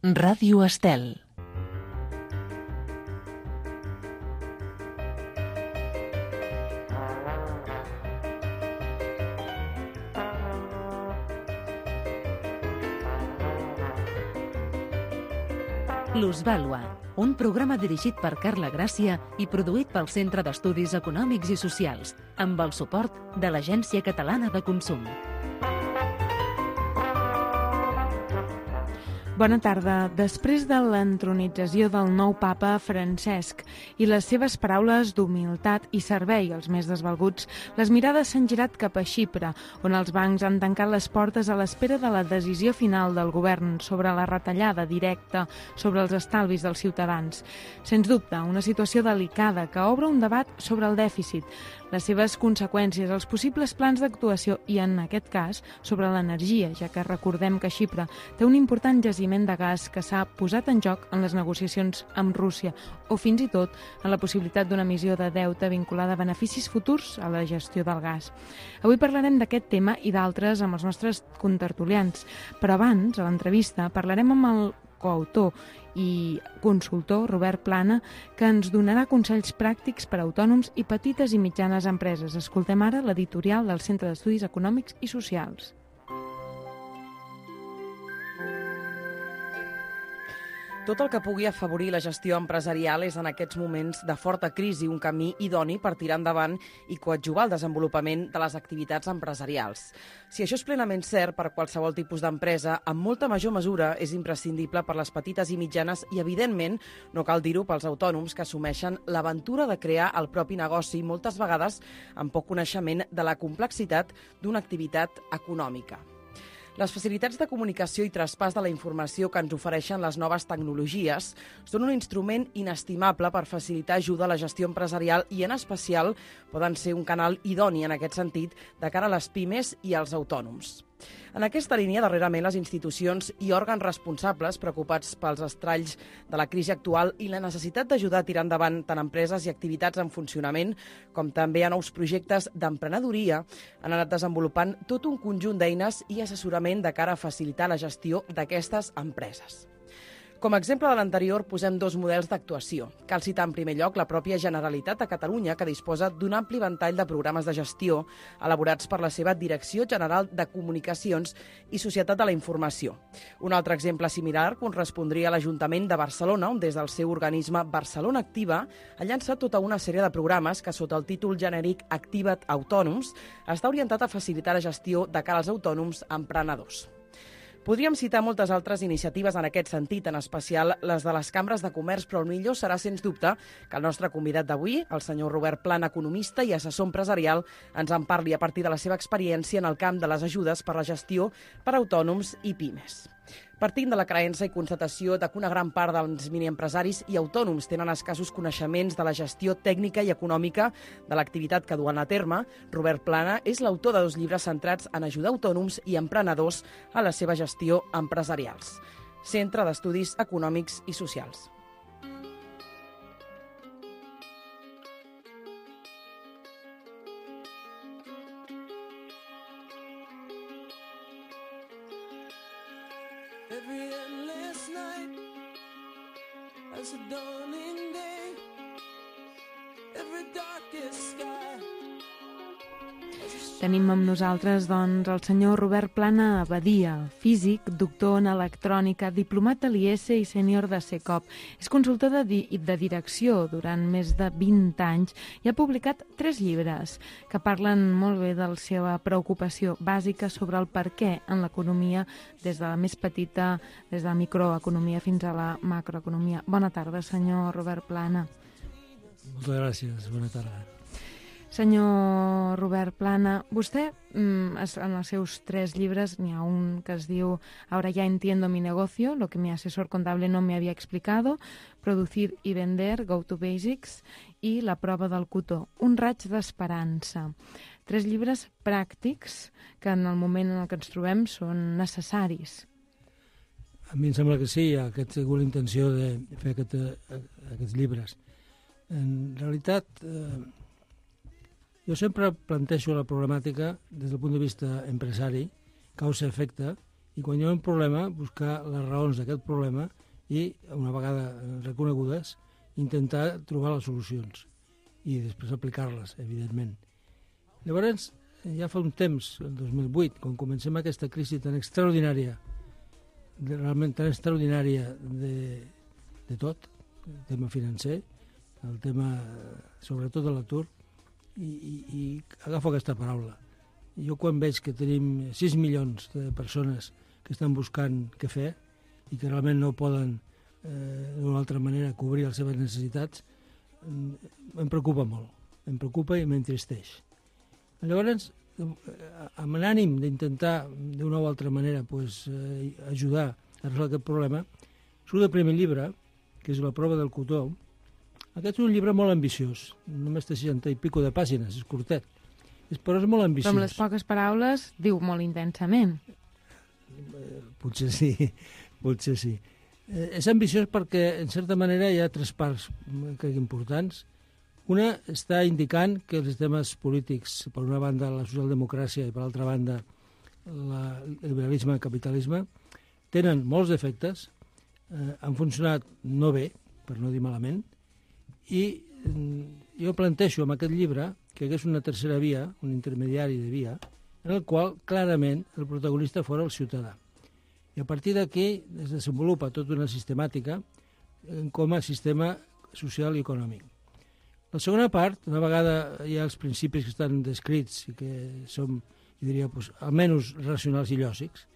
Ràdio Estel. L'Ús Vàlua, un programa dirigit per Carla Gràcia i produït pel Centre d'Estudis Econòmics i Socials, amb el suport de l'Agència Catalana de Consum. Bona tarda. Després de l'entronització del nou papa Francesc i les seves paraules d'humilitat i servei als més desvalguts, les mirades s'han girat cap a Xipre, on els bancs han tancat les portes a l'espera de la decisió final del govern sobre la retallada directa sobre els estalvis dels ciutadans. Sens dubte, una situació delicada que obre un debat sobre el dèficit, les seves conseqüències, els possibles plans d'actuació i, en aquest cas, sobre l'energia, ja que recordem que Xipre té un important jaciment de gas que s'ha posat en joc en les negociacions amb Rússia o fins i tot en la possibilitat d'una emissió de deute vinculada a beneficis futurs a la gestió del gas. Avui parlarem d'aquest tema i d'altres amb els nostres contertulians, però abans, a l'entrevista, parlarem amb el coautor i consultor Robert Plana, que ens donarà consells pràctics per a autònoms i petites i mitjanes empreses. Escoltem ara l'editorial del Centre d'Estudis Econòmics i Socials. Tot el que pugui afavorir la gestió empresarial és en aquests moments de forta crisi un camí idoni per tirar endavant i coadjuvar el desenvolupament de les activitats empresarials. Si això és plenament cert per qualsevol tipus d'empresa, en molta major mesura és imprescindible per les petites i mitjanes i, evidentment, no cal dir-ho pels autònoms que assumeixen l'aventura de crear el propi negoci, moltes vegades amb poc coneixement de la complexitat d'una activitat econòmica. Les facilitats de comunicació i traspàs de la informació que ens ofereixen les noves tecnologies són un instrument inestimable per facilitar ajuda a la gestió empresarial i, en especial, poden ser un canal idoni en aquest sentit de cara a les pimes i als autònoms. En aquesta línia, darrerament, les institucions i òrgans responsables preocupats pels estralls de la crisi actual i la necessitat d'ajudar a tirar endavant tant empreses i activitats en funcionament com també a nous projectes d'emprenedoria han anat desenvolupant tot un conjunt d'eines i assessorament de cara a facilitar la gestió d'aquestes empreses. Com a exemple de l'anterior, posem dos models d'actuació. Cal citar en primer lloc la pròpia Generalitat de Catalunya, que disposa d'un ampli ventall de programes de gestió elaborats per la seva Direcció General de Comunicacions i Societat de la Informació. Un altre exemple similar correspondria a l'Ajuntament de Barcelona, on des del seu organisme Barcelona Activa ha llançat tota una sèrie de programes que, sota el títol genèric Activa't Autònoms, està orientat a facilitar la gestió de cara als autònoms emprenedors. Podríem citar moltes altres iniciatives en aquest sentit, en especial les de les cambres de comerç, però el millor serà, sens dubte, que el nostre convidat d'avui, el senyor Robert Plana, economista i assessor empresarial, ens en parli a partir de la seva experiència en el camp de les ajudes per la gestió per a autònoms i pimes. Partint de la creença i constatació de que una gran part dels miniempresaris i autònoms tenen escassos coneixements de la gestió tècnica i econòmica de l'activitat que duen a terme, Robert Plana és l'autor de dos llibres centrats en ajudar autònoms i emprenedors a la seva gestió empresarials. Centre d'Estudis Econòmics i Socials. Tenim amb nosaltres, doncs, el senyor Robert Plana Abadia, físic, doctor en electrònica, diplomat de l'IES i sènior de SECOP. És consultor de direcció durant més de 20 anys i ha publicat 3 llibres que parlen molt bé de la seva preocupació bàsica sobre el per què en l'economia, des de la més petita, des de la microeconomia fins a la macroeconomia. Bona tarda, senyor Robert Plana. Moltes gràcies, bona tarda. Senyor Robert Plana, vostè, en els seus 3 llibres, n'hi ha un que es diu Ahora ya entiendo mi negocio, lo que mi asesor contable no me había explicado, Producir y vender, Go to Basics, i La prova del cotó, un raig d'esperança. 3 llibres pràctics que en el moment en el que ens trobem són necessaris. A mi em sembla que sí, que he tingut la intenció de fer aquests llibres. En realitat, jo sempre plantejo la problemàtica des del punt de vista empresari, causa-efecte, i quan hi ha un problema, buscar les raons d'aquest problema i, una vegada reconegudes, intentar trobar les solucions i després aplicar-les, evidentment. Llavors, ja fa un temps, el 2008, quan comencem aquesta crisi tan extraordinària, realment tan extraordinària de tot, el tema financer, el tema sobretot de l'atur, i agafo aquesta paraula. Jo quan veig que tenim 6 milions de persones que estan buscant què fer i que realment no poden d'una altra manera cobrir les seves necessitats, em preocupa molt, em preocupa i m'entristeix. Llavors, amb l'ànim d'intentar d'una o altra manera ajudar a resoldre aquest problema, surt el primer llibre, que és La prova del cotó. Aquest és un llibre molt ambiciós, només té 60 i pico de pàgines, és curtet, però és molt ambiciós. Però amb les poques paraules diu molt intensament. Potser sí. És ambiciós perquè, en certa manera, hi ha 3 parts crec importants. Una està indicant que els temes polítics, per una banda la socialdemocràcia i per l'altra banda el liberalisme i el capitalisme, tenen molts defectes, han funcionat no bé, per no dir malament, i jo plantejo amb aquest llibre que hagués una tercera via, un intermediari de via, en el qual clarament el protagonista fora el ciutadà. I a partir d'aquí es desenvolupa tota una sistemàtica com a sistema social i econòmic. La segona part, una vegada hi ha els principis que estan descrits i que són, jo diria, almenys racionals i lògics,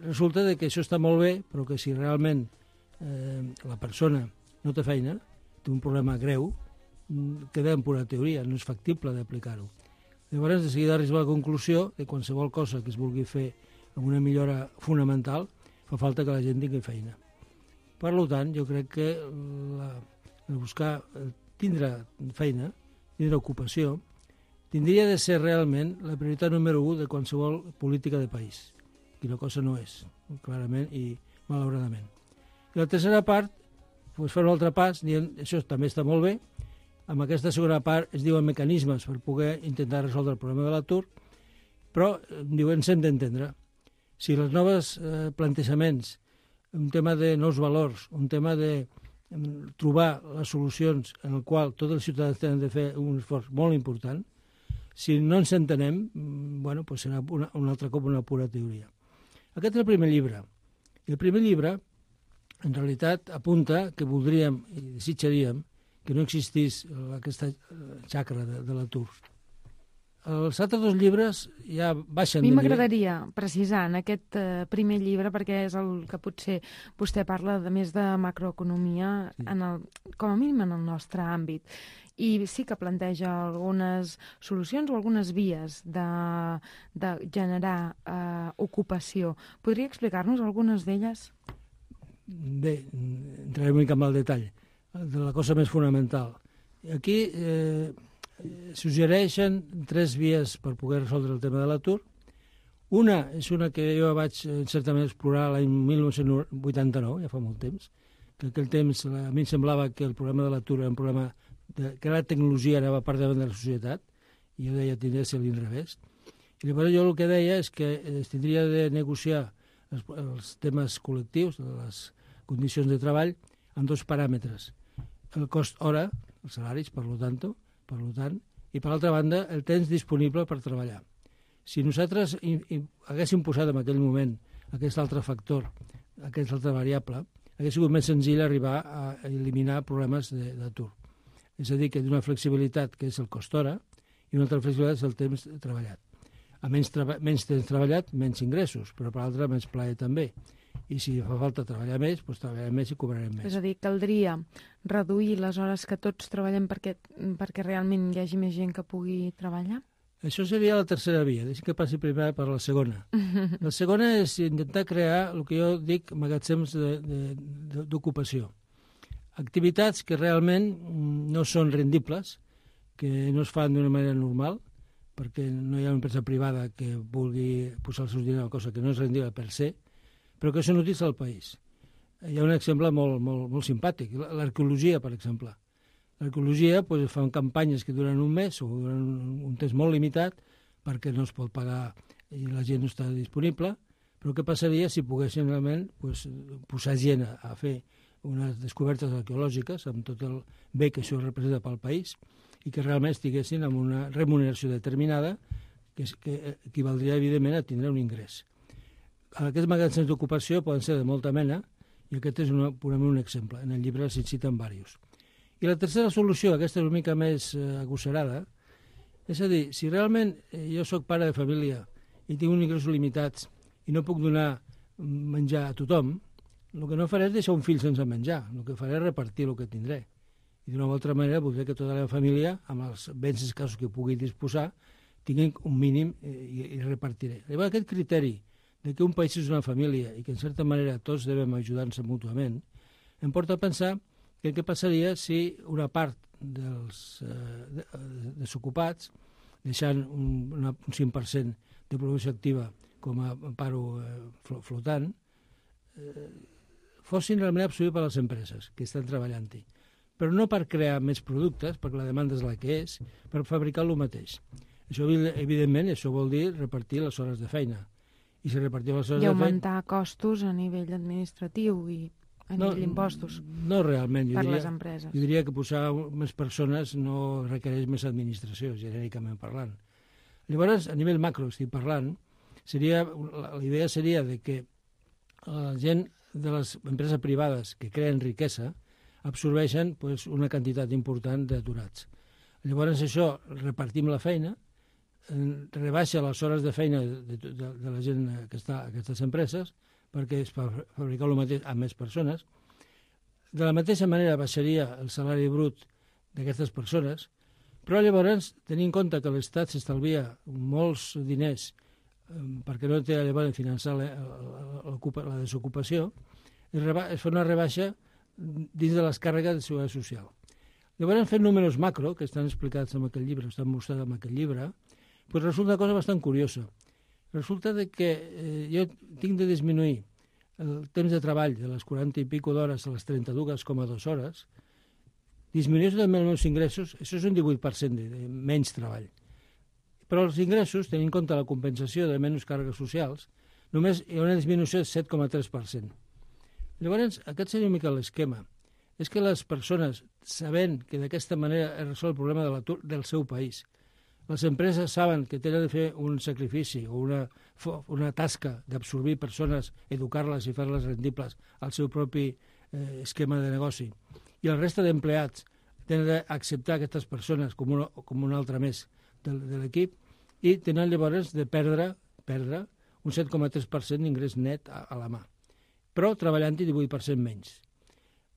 resulta que això està molt bé, però que si realment la persona no té feina, té un problema greu, queda en pura teoria, no és factible d'aplicar-ho. Llavors, de seguida arriba a la conclusió que qualsevol cosa que es vulgui fer amb una millora fonamental, fa falta que la gent tingui feina. Per tant, jo crec que tindre feina, tindre ocupació, tindria de ser realment la prioritat número 1 de qualsevol política de país. I la cosa no és, clarament i malauradament. I la tercera part, fa un altre pas, dient això també està molt bé. Amb aquesta segona part es diuen mecanismes per poder intentar resoldre el problema de l'atur, però diuen s'hem d'entendre. Si els nous plantejaments, un tema de nous valors, un tema de trobar les solucions en el qual tots els ciutadans tenen de fer un esforç molt important, si no ens entenem, serà un altre cop una pura teoria. Aquest és el primer llibre. I el primer llibre, en realitat, apunta que voldríem i desitjaríem que no existís aquesta xacra de l'atur. Els altres 2 llibres ja baixen de nivell. A mi m'agradaria precisar en aquest primer llibre, perquè és el que potser vostè parla de més de macroeconomia, com a mínim en el nostre àmbit. I sí que planteja algunes solucions o algunes vies de generar ocupació. Podria explicar-nos algunes d'elles? Bé, entrarem una mica en el detall de la cosa més fonamental. Aquí suggereixen 3 vies per poder resoldre el tema de l'atur. Una és una que jo vaig certament explorar l'any 1989, ja fa molt temps, que aquell temps a mi em semblava que el problema de l'atur era un problema que la tecnologia anava per davant de la societat, i jo deia tindria de ser l'inrevés. I llavors jo el que deia és que es tindria de negociar els temes col·lectius, les condicions de treball, amb 2 paràmetres. El cost hora, els salaris, per tant, i per l'altra banda, el temps disponible per treballar. Si nosaltres haguéssim posat en aquell moment aquest altre factor, aquesta altra variable, hauria sigut més senzill arribar a eliminar problemes d'atur. És a dir, que d'una flexibilitat que és el cost hora i una altra flexibilitat és el temps treballat. A menys temps treballat, menys ingressos, però per l'altra menys plaer també. I si fa falta treballar més, doncs treballarem més i cobrarem més. És a dir, caldria reduir les hores que tots treballem perquè realment hi hagi més gent que pugui treballar? Això seria la tercera via. Deixa que passi primer per la segona. La segona és intentar crear el que jo dic magatzems d'ocupació. Activitats que realment no són rendibles, que no es fan d'una manera normal, perquè no hi ha una empresa privada que vulgui posar els seus diners a una cosa que no és rendible per se, però que són útils al país. Hi ha un exemple molt simpàtic, l'arqueologia, per exemple. L'arqueologia fan campanyes que duren un mes o duren un temps molt limitat perquè no es pot pagar i la gent no està disponible, Però què passaria si poguessin realment posar gent a fer unes descobertes arqueològiques amb tot el bé que això representa pel país i que realment estiguessin amb una remuneració determinada que equivaldria, evidentment, a tindre un ingrés. Aquests magatzems d'ocupació poden ser de molta mena i aquest és purament un exemple. En el llibre se'n citen diversos. I la tercera solució, aquesta és una mica més agosarada, és a dir, si realment jo sóc pare de família i tinc uns ingressos limitats i no puc donar menjar a tothom, el que no faré és deixar un fill sense menjar, el que faré és repartir el que tindré. I d'una altra manera voldré que tota la meva família, amb els béns escassos que pugui disposar, tinguin un mínim i repartiré. Llavors aquest criteri de que un país és una família i que en certa manera tots devem ajudar-nos mútuament, em porta a pensar que què passaria si una part dels desocupats, deixant un 5% de població activa com a paro flotant, fossin realment absorbits per les empreses que estan treballant-hi. Però no per crear més productes, perquè la demanda és la que és, per fabricar el mateix. Això, evidentment, això vol dir repartir les hores de feina. I si repartim les hores de feina... I augmentar costos a nivell administratiu i a nivell d'impostos. No realment. Per les empreses. Jo diria que posar més persones no requereix més administració, genèricament parlant. Llavors, a nivell macro estic parlant, la idea seria de que la gent de les empreses privades que creen riquesa absorbeixen una quantitat important d'aturats. Llavors això, repartim la feina, rebaixa les hores de feina de la gent que està a aquestes empreses perquè és per fabricar el mateix amb més persones. De la mateixa manera baixaria el salari brut d'aquestes persones, però llavors, tenint en compte que l'Estat s'estalvia molts diners perquè no té llavors finançar la desocupació, es fa una rebaixa dins de les càrregues de seguretat social. Llavors, fent números macro, que estan explicats en aquell llibre, estan mostrats en aquell llibre, resulta una cosa bastant curiosa. Resulta que jo tinc de disminuir el temps de treball de les 40 i pico d'hores a les 32,2 hores, disminuir també els meus ingressos, això és un 18% de menys treball. Però els ingressos, tenint en compte la compensació de menys càrregues socials, només hi ha una disminució de 7,3%. Llavors, aquest seria una mica l'esquema. És que les persones, sabent que d'aquesta manera es resol el problema de l'atur del seu país, les empreses saben que tenen de fer un sacrifici o una tasca d'absorbir persones, educar-les i fer-les rendibles al seu propi esquema de negoci, i el resta d'empleats tenen d'acceptar aquestes persones com una altra més de l'equip, i tenen llavors de perdre un 7,3% d'ingrés net a la mà, però treballant-hi 18% menys.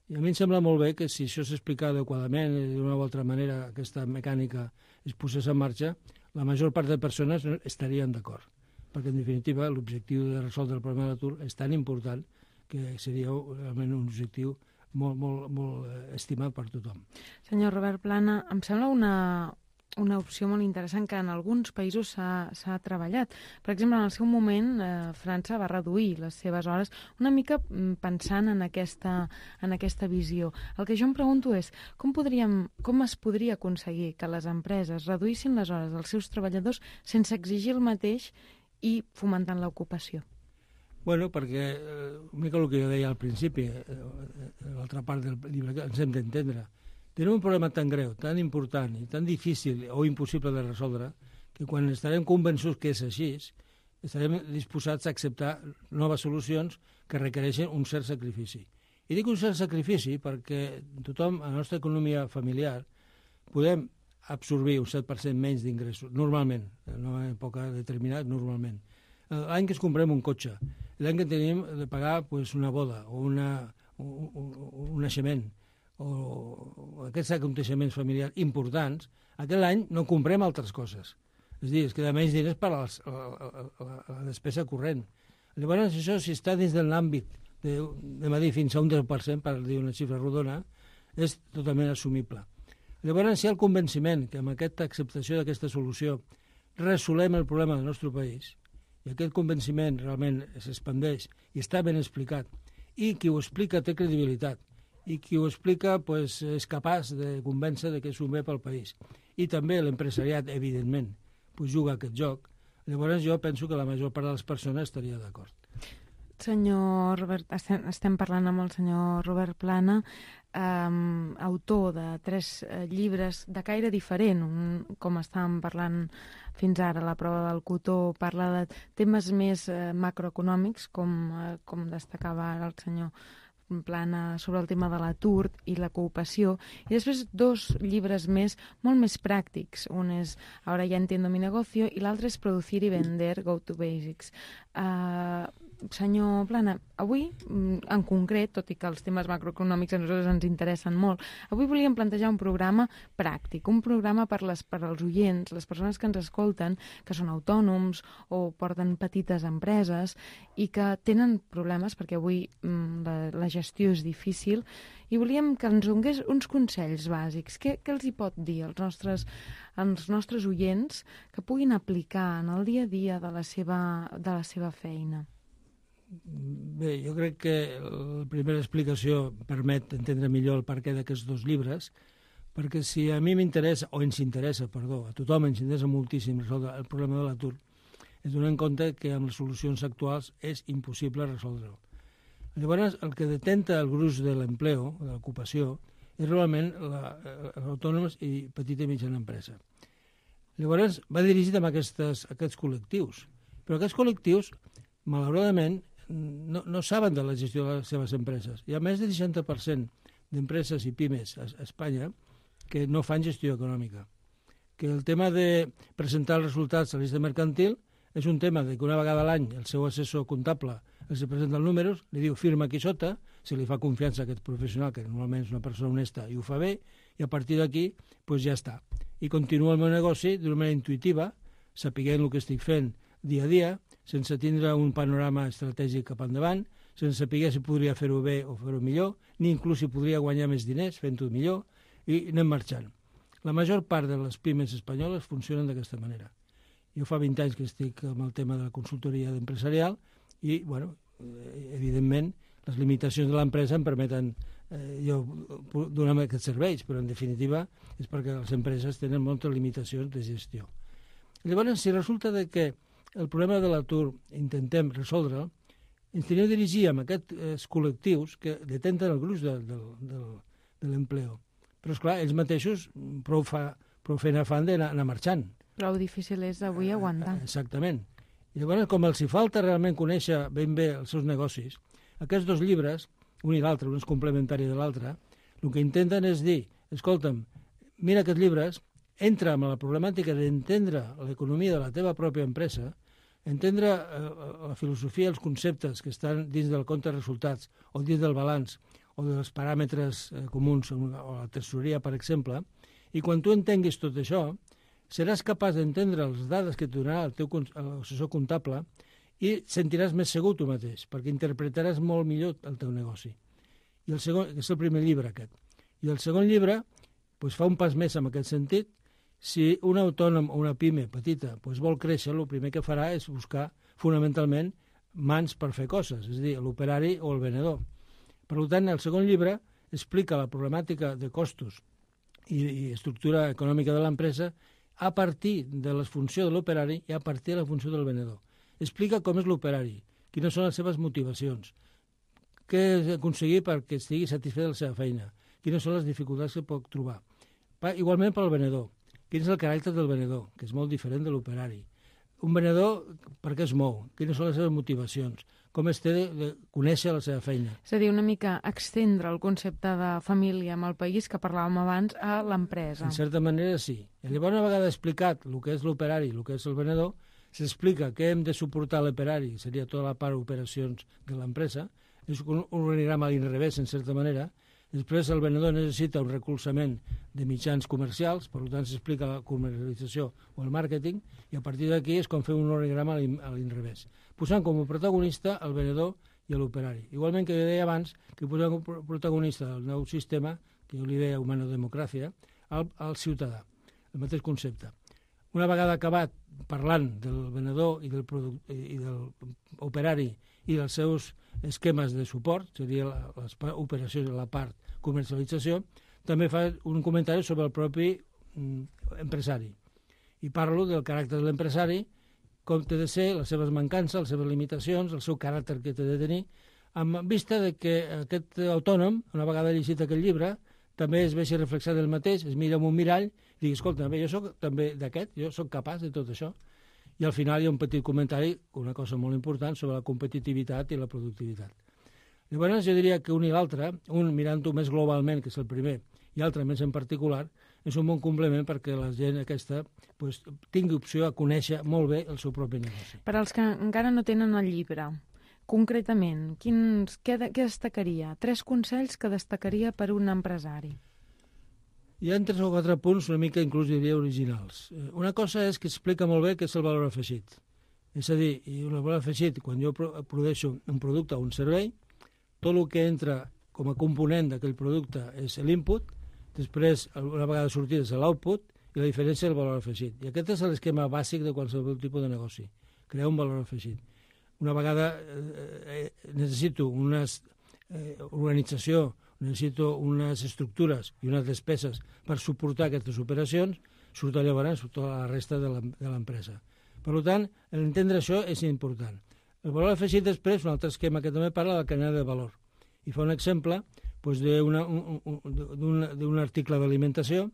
I a mi em sembla molt bé que si això s'explica adequadament i d'una o altra manera aquesta mecànica es posés en marxa, la major part de persones estarien d'acord, perquè en definitiva l'objectiu de resoldre el problema de l'atur és tan important que seria realment un objectiu molt estimat per tothom. Senyor Robert Plana, em sembla una opció molt interessant que en alguns països s'ha treballat. Per exemple, en el seu moment, França va reduir les seves hores una mica pensant en aquesta visió. El que jo em pregunto és com es podria aconseguir que les empreses reduïssin les hores dels seus treballadors sense exigir el mateix i fomentant l'ocupació? Bueno, perquè una mica el que jo deia al principi, l'altra part del llibre que ens hem d'entendre, tenim un problema tan greu, tan important i tan difícil o impossible de resoldre que quan estarem convençuts que és així, estarem disposats a acceptar noves solucions que requereixen un cert sacrifici. I dic un cert sacrifici perquè tothom, a la nostra economia familiar, podem absorbir un 7% menys d'ingressos, normalment, en una època determinada, normalment. L'any que es comprem un cotxe, l'any que tenim de pagar una boda o un naixement, o aquests aconteixements familiars importants, aquell any no comprem altres coses. És a dir, es queda menys diners per a la despesa corrent. Llavors, això, si està dins de l'àmbit de dir fins a un 10%, per dir una xifra rodona, és totalment assumible. Llavors, si hi ha el convenciment que amb aquesta acceptació d'aquesta solució resolem el problema del nostre país, i aquest convenciment realment s'expandeix i està ben explicat, i qui ho explica té credibilitat, i qui ho explica és capaç de convèncer que és un bé pel país. I també l'empresariat, evidentment, juga aquest joc. Llavors jo penso que la major part de les persones estaria d'acord. Senyor Robert, estem parlant amb el senyor Robert Plana, autor de 3 llibres de caire diferent. Com estàvem parlant fins ara, La prova del cotó parla de temes més macroeconòmics, com destacava ara el senyor Plana sobre el tema de l'atur i la cooperació, i després 2 llibres més, molt més pràctics. Un és Ahora ya entiendo mi negocio i l'altre és Producir y vender, Go to Basics. Senyor Plana, avui en concret, tot i que els temes macroeconòmics a nosaltres ens interessen molt, avui volíem plantejar un programa pràctic, un programa per als oients, les persones que ens escolten, que són autònoms o porten petites empreses i que tenen problemes perquè avui la gestió és difícil, i volíem que ens donés uns consells bàsics. Què els hi pot dir als nostres oients que puguin aplicar en el dia a dia de la seva feina? Bé, jo crec que la primera explicació permet entendre millor el perquè d'aquests 2 llibres, perquè si a mi m'interessa, o ens interessa, perdó, a tothom ens interessa moltíssim resoldre el problema de l'atur, es donar en compte que amb les solucions actuals és impossible resoldre'l. Llavors, el que detenta el gruix de l'empleo, de l'ocupació, és realment els autònoms i petita i mitjana empresa. Llavors, va dirigit a aquests col·lectius, però aquests col·lectius, malauradament, no saben de la gestió de les seves empreses. Hi ha més del 60% d'empreses i pimes a Espanya que no fan gestió econòmica. Que el tema de presentar els resultats a la llista mercantil és un tema que una vegada a l'any el seu assessor comptable els presenta els números, li diu firma aquí sota, se li fa confiança a aquest professional, que normalment és una persona honesta i ho fa bé, i a partir d'aquí ja està. I continua el meu negoci d'una manera intuïtiva, sapiguent el que estic fent dia a dia, sense tindre un panorama estratègic cap endavant, sense saber si podria fer-ho bé o fer-ho millor, ni inclús si podria guanyar més diners fent-ho millor, i anem marxant. La major part de les pimes espanyoles funcionen d'aquesta manera. Jo fa 20 anys que estic amb el tema de la consultoria empresarial i, evidentment, les limitacions de l'empresa em permeten jo donar aquests serveis, però en definitiva és perquè les empreses tenen moltes limitacions de gestió. Llavors, si resulta que el problema de l'atur intentem resoldre'l, ens tenim de dirigir amb aquests col·lectius que detenten el gruix de l'empleo. Però, esclar, ells mateixos prou feina fan d'anar marxant. Prou difícil és avui aguantar. Exactament. I llavors, com els hi falta realment conèixer ben bé els seus negocis, aquests 2 llibres, un i l'altre, un és complementari de l'altre, el que intenten és dir, escolta'm, mira aquests llibres, entra amb la problemàtica d'entendre l'economia de la teva pròpia empresa, entendre la filosofia, els conceptes que estan dins del compte de resultats o dins del balanç o dels paràmetres comuns o la tesoreria, per exemple, i quan tu entenguis tot això, seràs capaç d'entendre les dades que et donarà el teu assessor comptable i sentiràs més segur tu mateix, perquè interpretaràs molt millor el teu negoci. I el segon, que és el primer llibre aquest. I el segon llibre fa un pas més en aquest sentit. Si un autònom o una pime petita vol créixer, el primer que farà és buscar fonamentalment mans per fer coses, és a dir, l'operari o el venedor. Per tant, el segon llibre explica la problemàtica de costos i estructura econòmica de l'empresa a partir de la funció de l'operari i a partir de la funció del venedor. Explica com és l'operari, quines són les seves motivacions, què aconseguir perquè estigui satisfet de la seva feina, quines són les dificultats que pot trobar. Igualment pel venedor. Quin és el caràcter del venedor, que és molt diferent de l'operari. Un venedor, per què es mou? Quines són les seves motivacions? Com es té de conèixer la seva feina? És a dir, una mica extendre el concepte de família amb el país que parlàvem abans a l'empresa. En certa manera, sí. I llavors, una vegada explicat el que és l'operari i el que és el venedor, s'explica què hem de suportar l'operari, seria tota la part d'operacions de l'empresa, és un organigrama a l'inrevés, en certa manera. Després el venedor necessita un recolzament de mitjans comercials, per tant s'explica la comercialització o el màrqueting, i a partir d'aquí és com fer un organigrama a l'inrevés, posant com a protagonista el venedor i l'operari. Igualment que deia abans, que posem com a protagonista del nou sistema, que jo li deia humanodemocràcia, al ciutadà, el mateix concepte. Una vegada acabat parlant del venedor i del operari i dels seus esquemes de suport, seria les operacions de la part comercialització, també fa un comentari sobre el propi empresari. I parlo del caràcter de l'empresari, com té de ser, les seves mancances, les seves limitacions, el seu caràcter que té de tenir, amb vista de que aquest autònom, una vegada llegit aquest llibre, també es vegi reflexat del mateix, es mira en un mirall i digui, escolta, jo soc també d'aquest, jo soc capaç de tot això. I al final hi ha un petit comentari, una cosa molt important, sobre la competitivitat i la productivitat. Llavors jo diria que un i l'altre, un mirant-ho més globalment, que és el primer, i l'altre més en particular, és un bon complement perquè la gent aquesta tingui opció a conèixer molt bé el seu propi negoci. Per als que encara no tenen el llibre, concretament, què destacaria? 3 consells que destacaria per un empresari. Hi ha 3 o 4 punts una mica inclús diria originals. Una cosa és que explica molt bé què és el valor afegit. És a dir, el valor afegit, quan jo produeixo un producte o un servei, tot el que entra com a component d'aquell producte és l'input, després, una vegada sortit, és l'output, i la diferència és el valor afegit. I aquest és l'esquema bàsic de qualsevol tipus de negoci, crear un valor afegit. Una vegada necessito una organització, necessito unes estructures i unes despeses per suportar aquestes operacions, surt llavors tota la resta de l'empresa. Per tant, entendre això és important. El valor afegit després, un altre esquema que també parla de la cadena de valor. I fa un exemple d'un article d'alimentació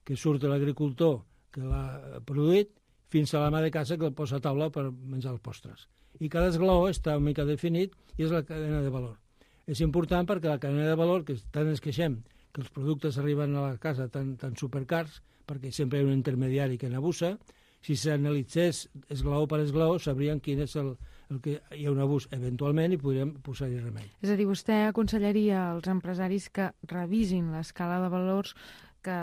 que surt de l'agricultor que l'ha produït fins a l'ama de casa que el posa a taula per menjar els postres. I cada esglaó està una mica definit i és la cadena de valor. És important perquè la cadena de valor, que tant ens queixem que els productes arriben a la casa tan supercars, perquè sempre hi ha un intermediari que n'abusa, si s'analitzés esglaó per esglaó sabrien quin és el que hi ha un abús eventualment i podríem posar-hi remei. És a dir, vostè aconsellaria als empresaris que revisin l'escala de valors, que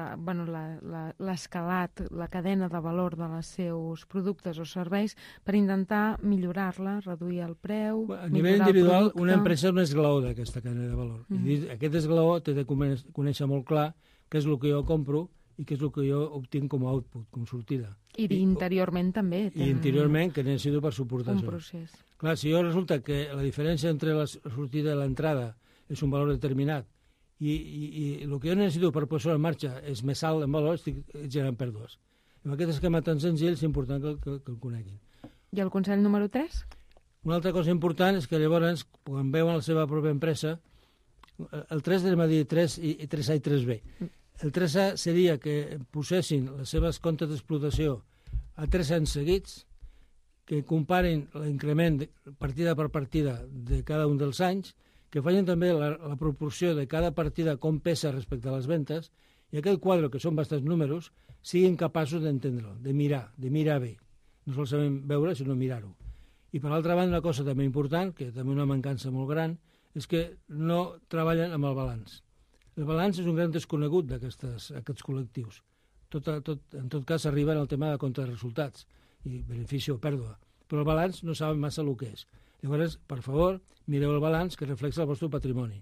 l'escalat, la cadena de valor dels seus productes o serveis per intentar millorar-la, reduir el preu, a nivell individual, una empresa és un esglaó d'aquesta cadena de valor. I aquest esglaó té de conèixer molt clar què és el que jo compro i què és el que jo obtinc com a output, com sortida. I interiorment també. I interiorment, que necessito per suportar un això. Procés. Clar, si jo resulta que la diferència entre la sortida i l'entrada és un valor determinat i el que jo necessito per posar en marxa és més alt en valor, estic generant pèrdues. Amb aquest esquema tan senzill és important que el coneguin. I el consell número 3? Una altra cosa important és que llavors, quan veuen la seva pròpia empresa, el 3 anem a dir 3 i 3A i 3B. El 3A seria que posessin les seves comptes d'explotació a 3 anys seguits, que comparen l'increment partida per partida de cada un dels anys, que facin també la proporció de cada partida com pesa respecte a les ventes, i aquell quadre, que són bastants números, siguin capaços d'entendre-lo, de mirar bé. No sols sabem veure, sinó mirar-ho. I per l'altra banda, una cosa també important, que també una mancança molt gran, és que no treballen amb el balanç. El balanç és un gran desconegut d'aquests col·lectius. En tot cas, arriben al tema de compte de resultats, i benefici o pèrdua. Però el balanç no saben massa el que és. Llavors, per favor, mireu el balanç que reflexa el vostre patrimoni.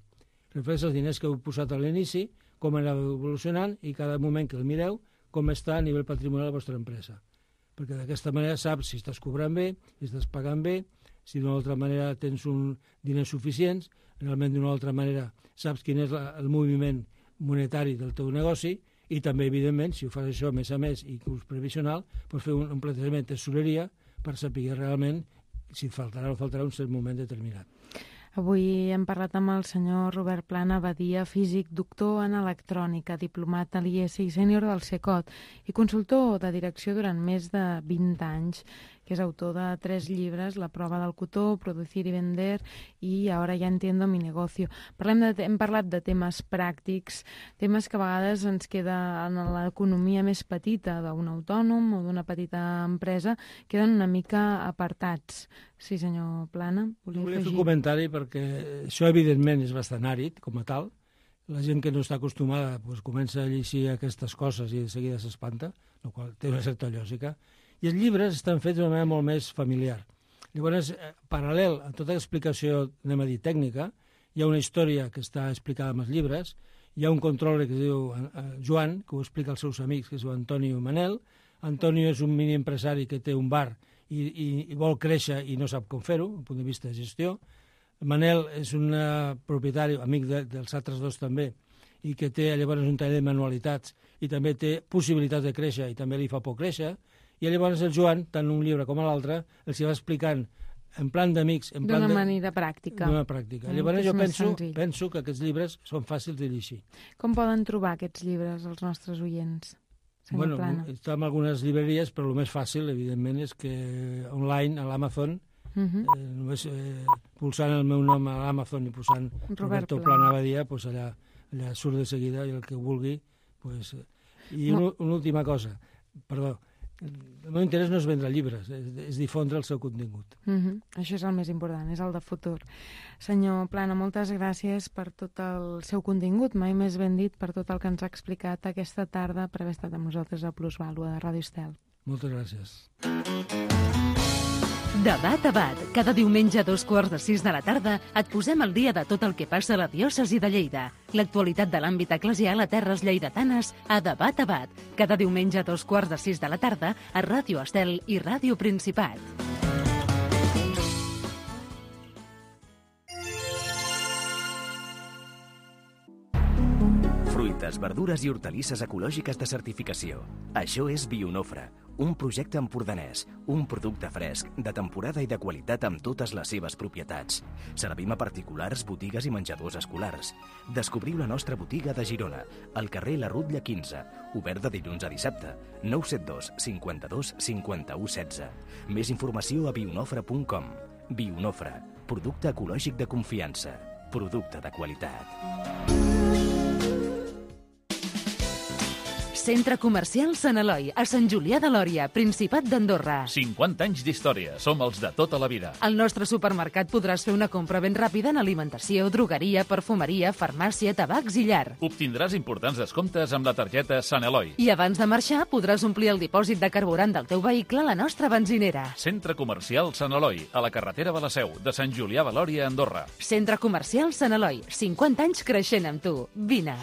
Reflexa els diners que heu posat a l'inici, com anava evolucionant, i cada moment que el mireu, com està a nivell patrimonial la vostra empresa. Perquè d'aquesta manera saps si estàs cobrant bé, si estàs pagant bé, si d'una altra manera tens diners suficients, realment d'una altra manera saps quin és el moviment monetari del teu negoci, i també, evidentment, si ho fas això més a més i curs previsional, pots fer un plantejament de tesoreria per saber realment si et faltarà o faltarà un cert moment determinat. Avui hem parlat amb el senyor Robert Plana Badia, físic, doctor en electrònica, diplomat a l'IES i sènior del CECOT i consultor de direcció durant més de 20 anys, que és autor de 3 llibres, La prova del cotó, Producir y vender i Ahora ya entiendo mi negocio. Hem parlat de temes pràctics, temes que a vegades ens queda en l'economia més petita d'un autònom o d'una petita empresa, queden una mica apartats. Sí, senyor Plana, volia fer un comentari perquè això evidentment és bastant àrid com a tal. La gent que no està acostumada comença a llegir aquestes coses i de seguida s'espanta, el qual té una certa lògica. I els llibres estan fets d'una manera molt més familiar. Llavors, paral·lel a tota l'explicació, anem a dir, tècnica, hi ha una història que està explicada en els llibres, hi ha un controller que es diu Joan, que ho explica als seus amics, que es diu Antonio Manel. Antonio és un mini empresari que té un bar i vol créixer i no sap com fer-ho, des del punt de vista de gestió. Manel és un propietari, amic dels altres dos també, i que té llavors un taller de manualitats i també té possibilitats de créixer i també li fa por créixer. I I llavors el Joan, tant un llibre com l'altre, els hi va explicant en plan d'amics... D'una manera pràctica. D'una pràctica. Llavors jo penso que aquests llibres són fàcils de llegir. Com poden trobar aquests llibres els nostres oients, senyor Plana? Està en algunes llibreries, però el més fàcil, evidentment, és que online, a l'Amazon, només pulsant el meu nom a l'Amazon i posant Roberto Plana Badia, doncs allà surt de seguida i el que vulgui. I una última cosa, perdó, el meu interès no és vendre llibres, és difondre el seu contingut. Això és el més important, és el de futur. Senyor Plana, moltes gràcies per tot el seu contingut, mai més ben dit, per tot el que ens ha explicat aquesta tarda per haver estat amb nosaltres a Plusvàlua de Ràdio Estel. Moltes gràcies. Debat a Bat. Cada diumenge a 5:45 de la tarda et posem al dia de tot el que passa a la diòcesi de Lleida. L'actualitat de l'àmbit eclesial a terres lleidatanes a Debat a Bat. Cada diumenge a 5:45 de la tarda a Ràdio Estel i Ràdio Principat. Fruites, verdures i hortalisses ecològiques de certificació. Això és Bionofre, un projecte empordanès, un producte fresc, de temporada i de qualitat amb totes les seves propietats. Servim a particulars, botigues i menjadors escolars. Descobriu la nostra botiga de Girona, al carrer La Rutlla 15, obert de dilluns a dissabte, 972 52 51 16. Més informació a bionofre.com. Bionofre, producte ecològic de confiança, producte de qualitat. Centre Comercial Sant Eloi, a Sant Julià de Lòria, Principat d'Andorra. 50 anys d'història, som els de tota la vida. Al nostre supermercat podràs fer una compra ben ràpida en alimentació, drogueria, perfumeria, farmàcia, tabacs i llar. Obtindràs importants descomptes amb la targeta Sant Eloi. I abans de marxar podràs omplir el dipòsit de carburant del teu vehicle a la nostra benzinera. Centre Comercial Sant Eloi, a la carretera de la Seu, de Sant Julià de Lòria, Andorra. Centre Comercial Sant Eloi, 50 anys creixent amb tu. Vine.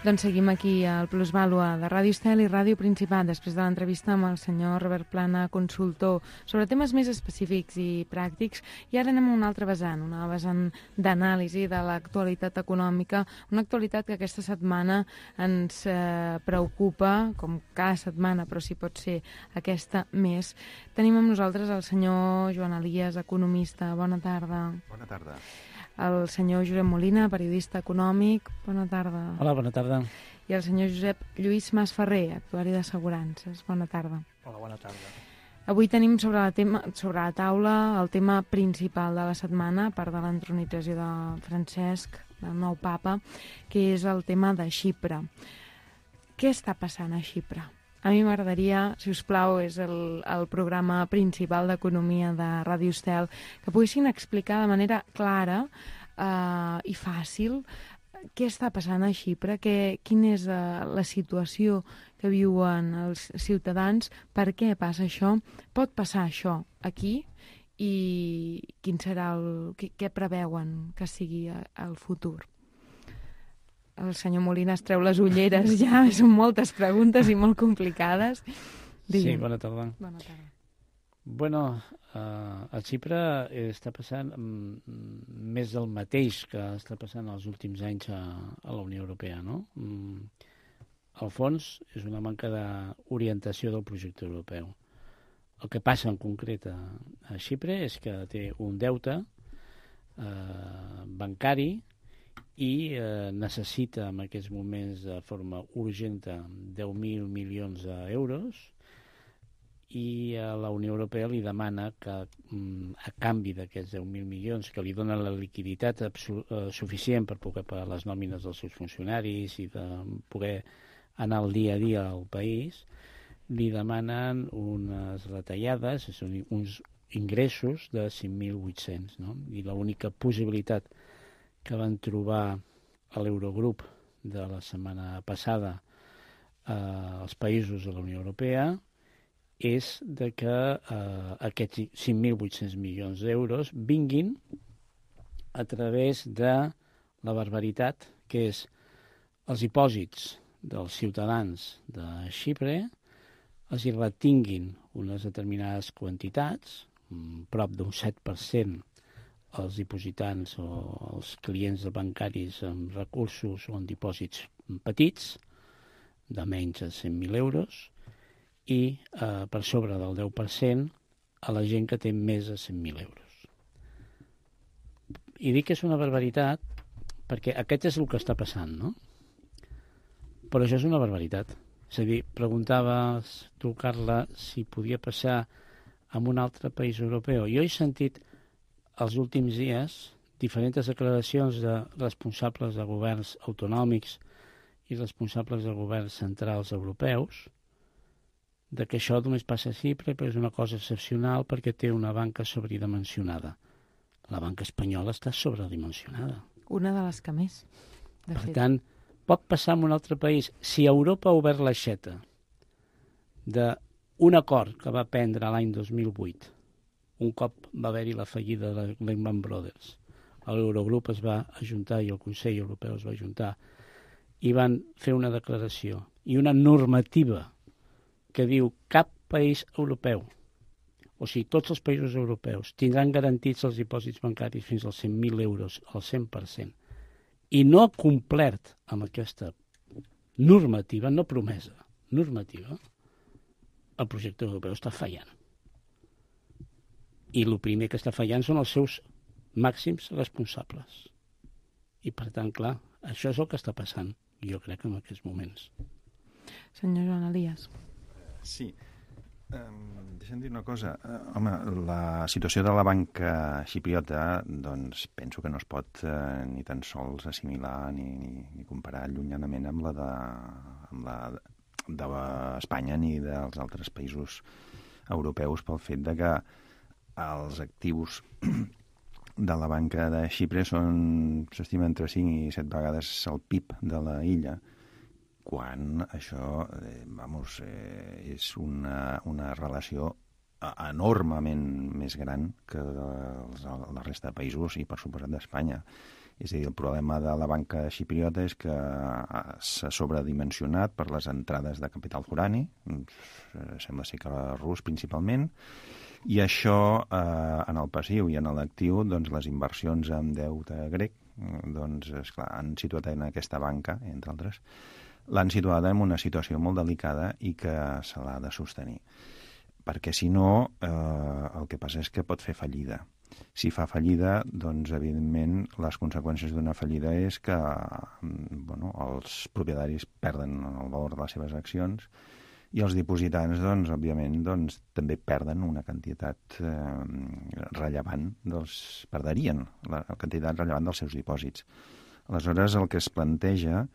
Doncs seguim aquí al Plusvàlua de Ràdio Estel i Ràdio Principat, després de l'entrevista amb el senyor Robert Plana, consultor, sobre temes més específics i pràctics. I ara anem a una altra vessant, una vessant d'anàlisi de l'actualitat econòmica, una actualitat que aquesta setmana ens preocupa, com cada setmana, però si pot ser aquesta més. Tenim amb nosaltres el senyor Joan Elias, economista. Bona tarda. Bona tarda. El senyor Josep Molina, periodista econòmic. Bona tarda. Hola, bona tarda. I el senyor Josep Lluís Masferrer, actuari d'assegurances. Bona tarda. Hola, bona tarda. Avui tenim sobre la taula el tema principal de la setmana, a part de l'entronització de Francesc, del nou papa, que és el tema de Xipre. Què està passant a Xipre? A mi m'agradaria, si us plau, és el programa principal d'economia de Ràdio Estel, que poguessin explicar de manera clara i fàcil què està passant a Xipre, quina és la situació que viuen els ciutadans, per què passa això, pot passar això aquí i quin serà què preveuen que sigui el futur. El senyor Molina es treu les ulleres ja, són moltes preguntes i molt complicades. Sí, bona tarda. Bona tarda. Bueno, a Xipre està passant més del mateix que està passant els últims anys a la Unió Europea, no? Al fons, és una manca d'orientació del projecte europeu. El que passa en concret a Xipre és que té un deute bancari i necessita en aquests moments de forma urgent 10.000 milions d'euros i la Unió Europea li demana que, a canvi d'aquests 10.000 milions, que li donen la liquiditat suficient per poder pagar les nòmines dels seus funcionaris i de poder anar al dia a dia al país, li demanen unes retallades, uns ingressos de 5.800, no? I l'única possibilitat que van trobar a l'Eurogrup de la setmana passada als països de la Unió Europea és de que aquests 5.800 milions d'euros vinguin a través de la barbaritat, que és els dipòsits dels ciutadans de Xipre, els hi retinguin unes determinades quantitats, prop d'un 7% als dipositants o als clients bancaris amb recursos o en dipòsits petits, de menys de 100.000 euros, i per sobre del 10% a la gent que té més de 100.000 euros. I dic que és una barbaritat perquè aquest és el que està passant, no? Però això és una barbaritat. És a dir, preguntaves tu, Carla, si podia passar en un altre país europeu. Jo he sentit els últims dies diferents declaracions de responsables de governs autonòmics i responsables de governs centrals europeus de que això només passa a Xipre, però és una cosa excepcional perquè té una banca sobredimensionada. La banca espanyola està sobredimensionada. Una de les que més, de fet. Per tant, pot passar en un altre país. Si Europa ha obert l'aixeta d'un acord que va prendre l'any 2008, un cop va haver-hi la fallida de Lehman Brothers, l'Eurogrup es va ajuntar i el Consell Europeu es va ajuntar i van fer una declaració i una normativa que diu cap país europeu, o sigui, tots els països europeus tindran garantits els dipòsits bancaris fins als 100.000 euros al 100%, i no ha complert amb aquesta normativa, no promesa, normativa, el projecte europeu està fallant. I el primer que està fallant són els seus màxims responsables. I, per tant, clar, això és el que està passant, jo crec, en aquests moments. Senyor Joan Elias. Sí. Deixa'm dir una cosa. Home, la situació de la banca xipriota, doncs penso que no es pot ni tan sols assimilar ni comparar llunyanament amb la d'Espanya ni dels altres països europeus pel fet de que els actius de la banca de Xipre s'estima entre 5 i 7 vegades el PIB de la illa, quan això és una relació enormement més gran que la resta de països i, per suposat, d'Espanya. És a dir, el problema de la banca xipriota és que s'ha sobredimensionat per les entrades de capital forani, sembla ser que rus principalment, i això en el passiu i en l'actiu, doncs les inversions en deute grec, doncs esclar, han situat en aquesta banca, entre altres, l'han situada en una situació molt delicada i que se l'ha de sostenir. Perquè si no, el que passa és que pot fer fallida. Si fa fallida, doncs evidentment les conseqüències d'una fallida és que els propietaris perden el valor de les seves accions i els dipositants, doncs, òbviament, doncs, també perden una quantitat rellevant, perderien la quantitat rellevant dels seus dipòsits. Aleshores, el que es planteja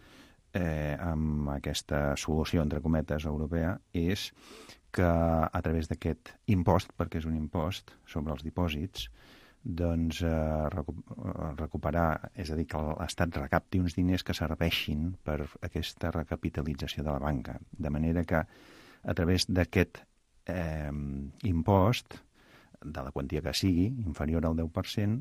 amb aquesta solució, entre cometes, europea, és que a través d'aquest impost, perquè és un impost sobre els dipòsits, doncs recuperar, és a dir, que l'Estat recapti uns diners que serveixin per aquesta recapitalització de la banca. De manera que a través d'aquest impost, de la quantia que sigui, inferior al 10%,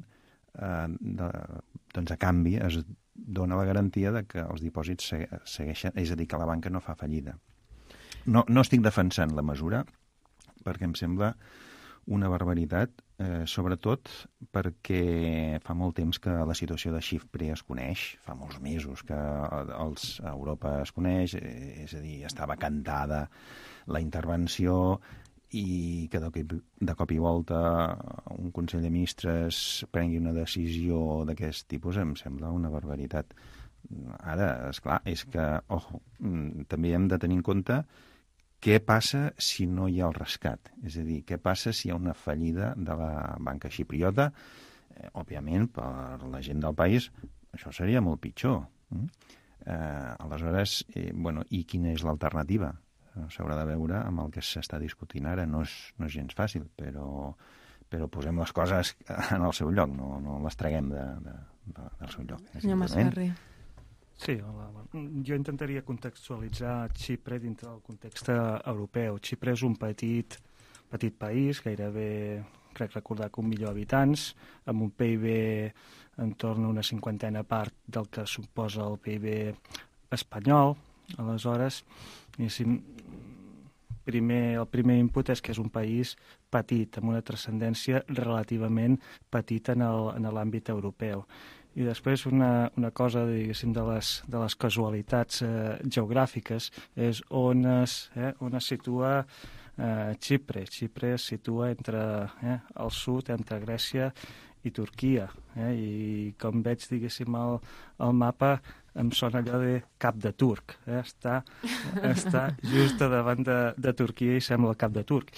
doncs a canvi es dona la garantia de que els dipòsits segueixen, és a dir, que la banca no fa fallida. No estic defensant la mesura perquè em sembla una barbaritat, sobretot perquè fa molt temps que la situació de Xipre es coneix, fa molts mesos que a Europa es coneix, és a dir, estava cantada la intervenció i que de cop i volta un Consell de Ministres prengui una decisió d'aquest tipus em sembla una barbaritat. Ara, esclar, és que, també hem de tenir en compte què passa si no hi ha el rescat? És a dir, què passa si hi ha una fallida de la banca xipriota? Òbviament, per la gent del país, això seria molt pitjor. Aleshores, i quina és l'alternativa? S'haurà de veure amb el que s'està discutint ara. No és gens fàcil, però posem les coses en el seu lloc, no les traguem del seu lloc. Senyor Masferrer. Sí, hola. Jo intentaria contextualitzar Xipre dintre del context europeu. Xipre és un petit país, gairebé, crec recordar que 1 milió d'habitants, amb un PIB entorn a una 50a part del que suposa el PIB espanyol. Aleshores, el primer input és que és un país petit, amb una transcendència relativament petita en l'àmbit europeu. I després una cosa, diguéssim, de les casualitats geogràfiques és on es situa Xipre. Xipre es situa al sud, entre Grècia i Turquia. I com veig, diguéssim, el mapa em sona allò de cap de turc. Està just davant de Turquia i sembla el cap de turc.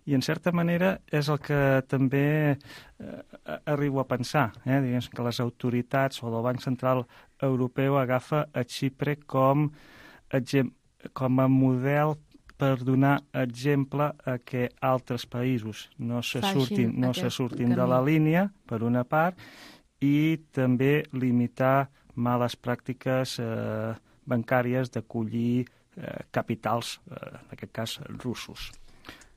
I en certa manera és el que també arribo a pensar. Diguem que les autoritats o el Banc Central Europeu agafa a Xipre com a model per donar exemple a que altres països no se surtin de la línia, per una part, i també limitar males pràctiques bancàries d'acollir capitals, en aquest cas russos.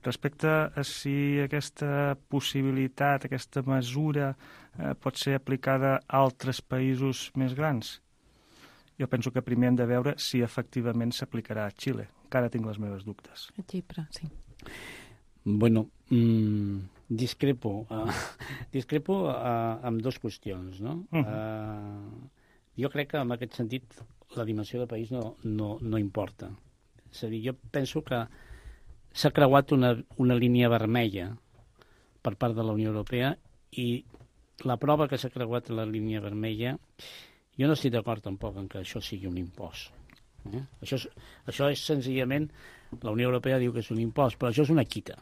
Respecte a si aquesta possibilitat, aquesta mesura pot ser aplicada a altres països més grans, jo penso que primer hem de veure si efectivament s'aplicarà a Xile. Encara tinc les meves dubtes. A Xipre, sí. Bueno, discrepo amb dues qüestions, no? Jo crec que en aquest sentit la dimensió de país no importa. És a dir, jo penso que s'ha creuat una línia vermella per part de la Unió Europea i la prova que s'ha creuat la línia vermella, jo no estic d'acord tampoc en que això sigui un impost. Això és senzillament, la Unió Europea diu que és un impost, però això és una quita.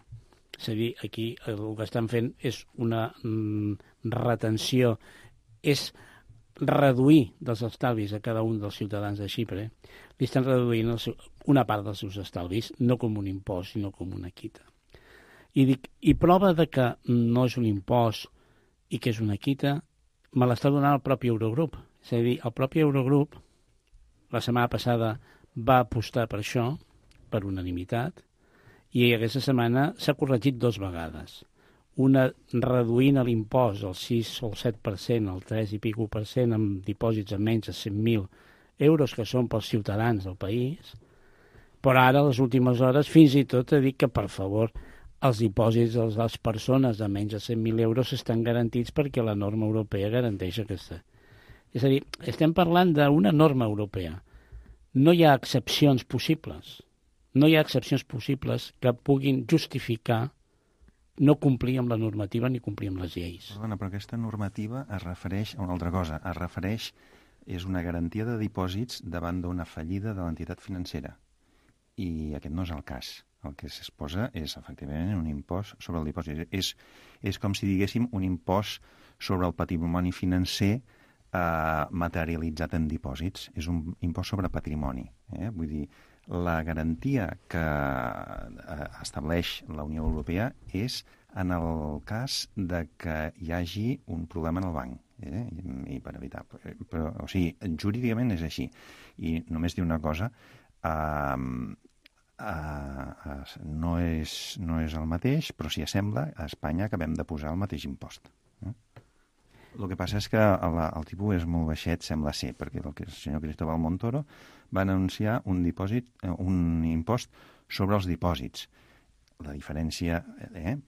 És a dir, aquí el que estan fent és una retenció, és reduir dels estalvis a cada un dels ciutadans de Xipre, li estan reduint una part dels seus estalvis, no com un impost, sinó com una quita. I prova de que no és un impost i que és una quita, me l'està donant el propi Eurogrup. És a dir, el propi Eurogrup, la setmana passada, va apostar per això, per unanimitat, i aquesta setmana s'ha corregit 2 vegades. Una reduint l'impost al 6 o el 7%, al 3 i pico per cent, amb dipòsits a menys de 100.000 euros, que són pels ciutadans del país, però ara, a les últimes hores, fins i tot ha dit que, per favor, els dipòsits de les persones de menys de 100.000 euros estan garantits perquè la norma europea garanteix aquesta. És a dir, estem parlant d'una norma europea. No hi ha excepcions possibles. No hi ha excepcions possibles que puguin justificar no complir amb la normativa ni complir amb les lleis. Perdona, però aquesta normativa es refereix a una altra cosa. És una garantia de dipòsits davant d'una fallida de l'entitat financera. I aquest no és el cas. El que es posa és, efectivament, un impost sobre el dipòsit. És com si diguéssim un impost sobre el patrimoni financer materialitzat en dipòsits. És un impost sobre patrimoni. Vull dir, la garantia que estableix la Unió Europea és en el cas de que hi hagi un problema en el banc. I per evitar... Però, o sigui, jurídicament és així. I només dir una cosa, no és el mateix, però si assembla, a Espanya acabem de posar el mateix impost. El que passa és que el tipus és molt baixet, sembla ser, perquè el senyor Cristóbal Montoro va anunciar un impost sobre els dipòsits. La diferència,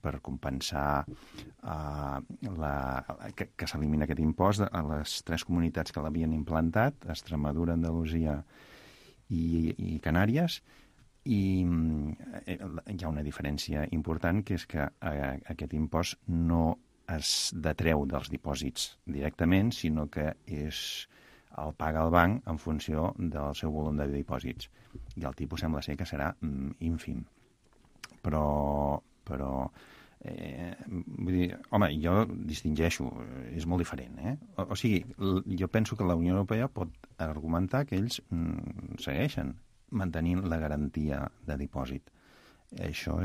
per compensar que s'elimina aquest impost a les 3 comunitats que l'havien implantat, Extremadura, Andalusia i Canàries, i hi ha una diferència important, que és que aquest impost no es detreu dels dipòsits directament, sinó que és el paga el banc en funció del seu volum de dipòsits. I el tipus sembla ser que serà ínfim. Però vull dir, home, jo distingeixo, és molt diferent, O sigui, jo penso que la Unió Europea pot argumentar que ells segueixen mantenint la garantia de dipòsit. Això...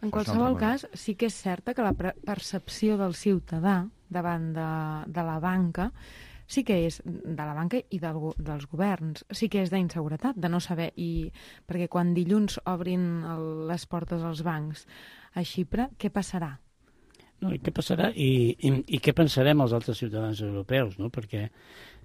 En qualsevol cas, sí que és certa que la percepció del ciutadà davant de la banca sí que és de la banca i dels governs, sí que és d'inseguretat, de no saber, perquè quan dilluns obrin les portes als bancs a Xipre, què passarà? No, i què passarà i què pensarem els altres ciutadans europeus, no? Perquè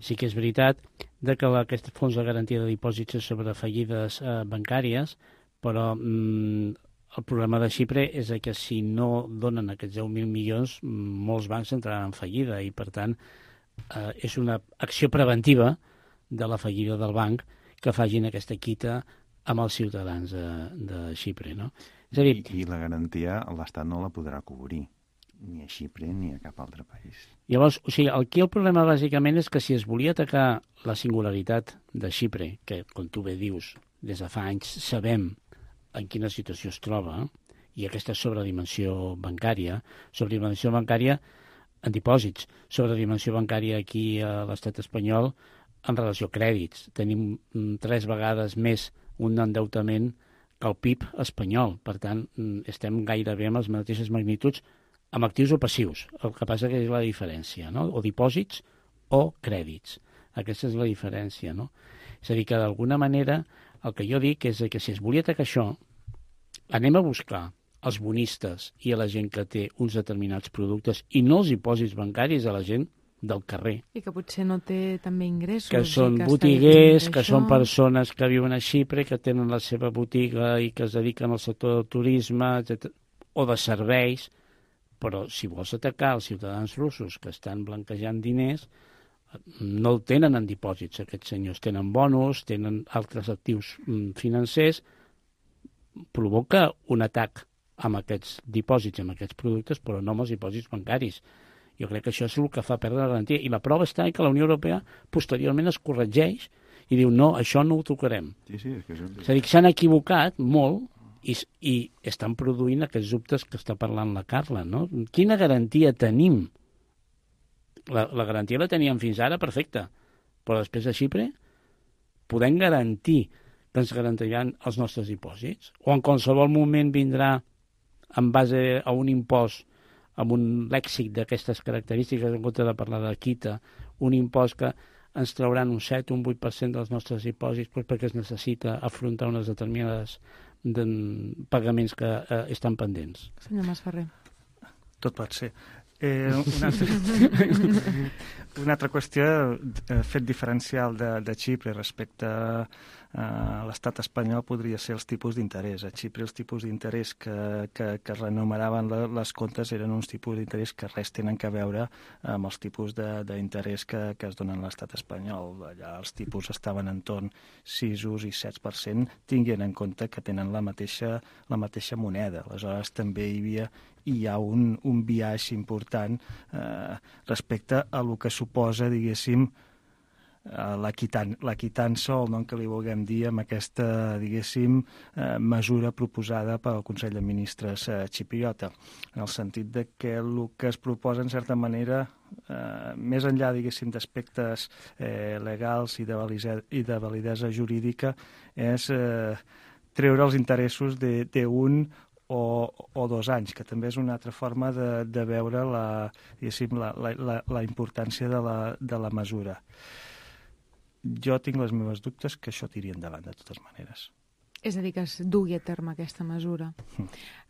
sí que és veritat que aquest fons de garantia de dipòsits és sobre fallides bancàries, però el problema de Xipre és que si no donen aquests 10.000 milions, molts bancs entraran en fallida i, per tant, és una acció preventiva de la fallida del banc que facin aquesta quita amb els ciutadans de Xipre, no? És a dir, I la garantia l'Estat no la podrà cobrir, ni a Xipre ni a cap altre país. Llavors, o sigui, aquí el problema bàsicament és que si es volia atacar la singularitat de Xipre, que, com tu bé dius, des de fa anys sabem en quina situació es troba, i aquesta sobredimensió bancària en dipòsits, sobredimensió bancària aquí a l'estat espanyol en relació a crèdits. Tenim 3 vegades més un endeutament que el PIB espanyol. Per tant, estem gairebé amb les mateixes magnituds amb actius o passius. El que passa que és la diferència, no? O dipòsits o crèdits. Aquesta és la diferència, no? És a dir, que d'alguna manera el que jo dic és que si es volia atacar això, anem a buscar els bonistes i a la gent que té uns determinats productes i no els dipòsits bancaris a la gent del carrer. I que potser no té també ingressos. Que són botiguers, que són persones que viuen a Xipre, que tenen la seva botiga i que es dediquen al sector del turisme, etc., o de serveis. Però si vols atacar els ciutadans russos que estan blanquejant diners, no el tenen en dipòsits. Aquests senyors tenen bonos, tenen altres actius financers, provoca un atac amb aquests dipòsits, amb aquests productes, però no amb els dipòsits bancaris. Jo crec que això és el que fa perdre la garantia. I la prova està que la Unió Europea posteriorment es corregeix i diu no, això no ho tocarem. Sí, és a dir, que s'han equivocat molt i estan produint aquests dubtes que està parlant la Carla, no? Quina garantia tenim? La garantia la teníem fins ara perfecta, però després de Xipre podem garantir que ens garantiran els nostres dipòsits? O en qualsevol moment vindrà en base a un impost amb un lèxic d'aquestes característiques, en compte de parlar de quita, un impost que ens trauran un 7 o un 8% dels nostres dipòsits perquè es necessita afrontar unes determinades pagaments que estan pendents. Senyor Masferrer. Tot pot ser. Una altra qüestió, fet diferencial de Xipre respecte a l'estat espanyol podria ser els tipus d'interès. A Xipre els tipus d'interès que renumeraven les comptes eren uns tipus d'interès que res tenen a veure amb els tipus d'interès que es donen a l'estat espanyol. Allà els tipus estaven entorn 6 i 7%, tinguent en compte que tenen la mateixa moneda. Aleshores també hi ha un biaix important respecte a el que suposa, diguéssim, la quitança, o el nom que li vulguem dir, amb aquesta, diguéssim, mesura proposada pel Consell de Ministres xipriota, en el sentit de que el que es proposa, en certa manera, més enllà, diguéssim, d'aspectes legals i de validesa jurídica, és treure els interessos d'un o 2 anys, que també és una altra forma de veure la importància de la mesura. Jo tinc les meves dubtes que això tiri endavant de totes maneres. És a dir, que es dugui a terme aquesta mesura.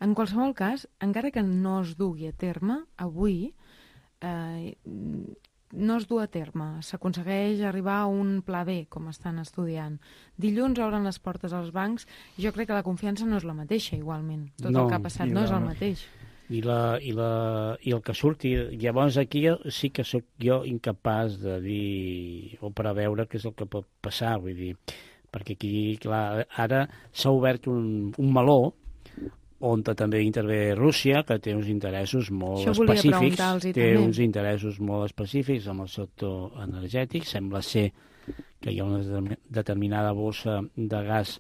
En qualsevol cas, encara que no es dugui a terme, avui no es du a terme. S'aconsegueix arribar a un pla B, com estan estudiant. Dilluns obren les portes als bancs i jo crec que la confiança no és la mateixa, igualment. Tot el que ha passat no és el mateix. I el que surti... Llavors aquí sí que sóc jo incapaç de dir o preveure què és el que pot passar, vull dir, perquè aquí, clar, ara s'ha obert un meló on també intervé Rússia, que té uns interessos molt específics. Té uns interessos molt específics amb el sector energètic. Sembla ser que hi ha una determinada bossa de gas